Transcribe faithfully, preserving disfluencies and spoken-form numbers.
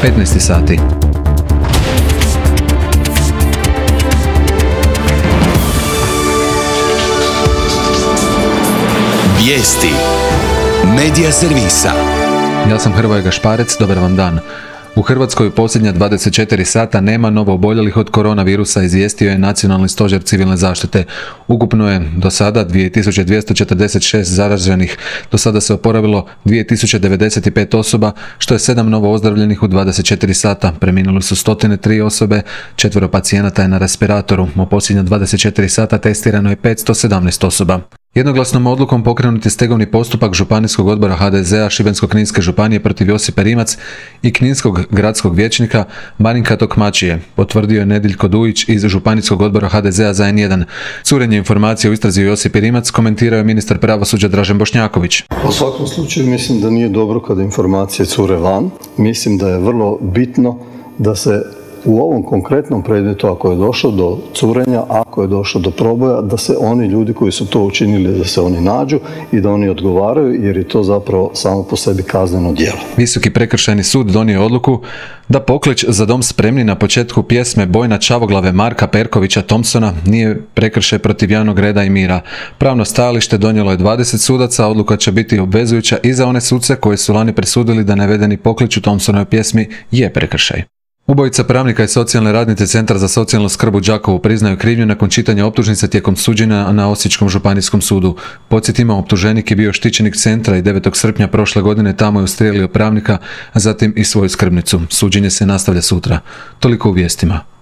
petnaest sati. Vijesti Medija servisa. Ja sam Hrvoje Gašparec, dobar vam dan. U Hrvatskoj u posljednja dvadeset četiri sata nema novo oboljelih od koronavirusa, izvijestio je Nacionalni stožer civilne zaštite. Ukupno je do sada dvije tisuće dvjesto četrdeset šest zaraženih, do sada se oporavilo dvije tisuće devedeset pet osoba, što je sedam novo ozdravljenih u dvadeset četiri sata. Preminuli su sto tri osobe, četvero pacijenata je na respiratoru. U posljednja dvadeset četiri sata testirano je petsto sedamnaest osoba. Jednoglasnom odlukom pokrenut je stegovni postupak Županijskog odbora ha de zea Šibensko-kninske županije protiv Josipe Rimac i kninskog gradskog vijećnika Marinka Tokmačije, potvrdio je Nediljko Dujić iz Županijskog odbora ha de zea za en jedan. Curenje informacije o istrazi o Josipi Rimac komentirao je ministar pravosuđa Dražen Bošnjaković. U svakom slučaju mislim da nije dobro kada informacije cure van. Mislim da je vrlo bitno da se u ovom konkretnom predmetu, ako je došlo do curenja, ako je došlo do proboja, da se oni ljudi koji su to učinili, da se oni nađu i da oni odgovaraju, jer je to zapravo samo po sebi kazneno djelo. Visoki prekršajni sud donio je odluku da poklič Za dom spremni na početku pjesme Bojna Čavoglave Marka Perkovića Thompsona nije prekršaj protiv javnog reda i mira. Pravno stajalište donijelo je dvadeset sudaca, odluka će biti obvezujuća i za one suce koji su lani presudili da navedeni poklič u Thompsonovoj pjesmi je prekršaj. Ubojica pravnika i socijalne radnice Centra za socijalnu skrb u Đakovu priznaju krivnju nakon čitanja optužnice tijekom suđenja na Osječkom županijskom sudu. Podsjetimo, optuženik je bio štićenik centra i devetog srpnja prošle godine tamo je ustrijelio pravnika, a zatim i svoju skrbnicu. Suđenje se nastavlja sutra. Toliko u vijestima.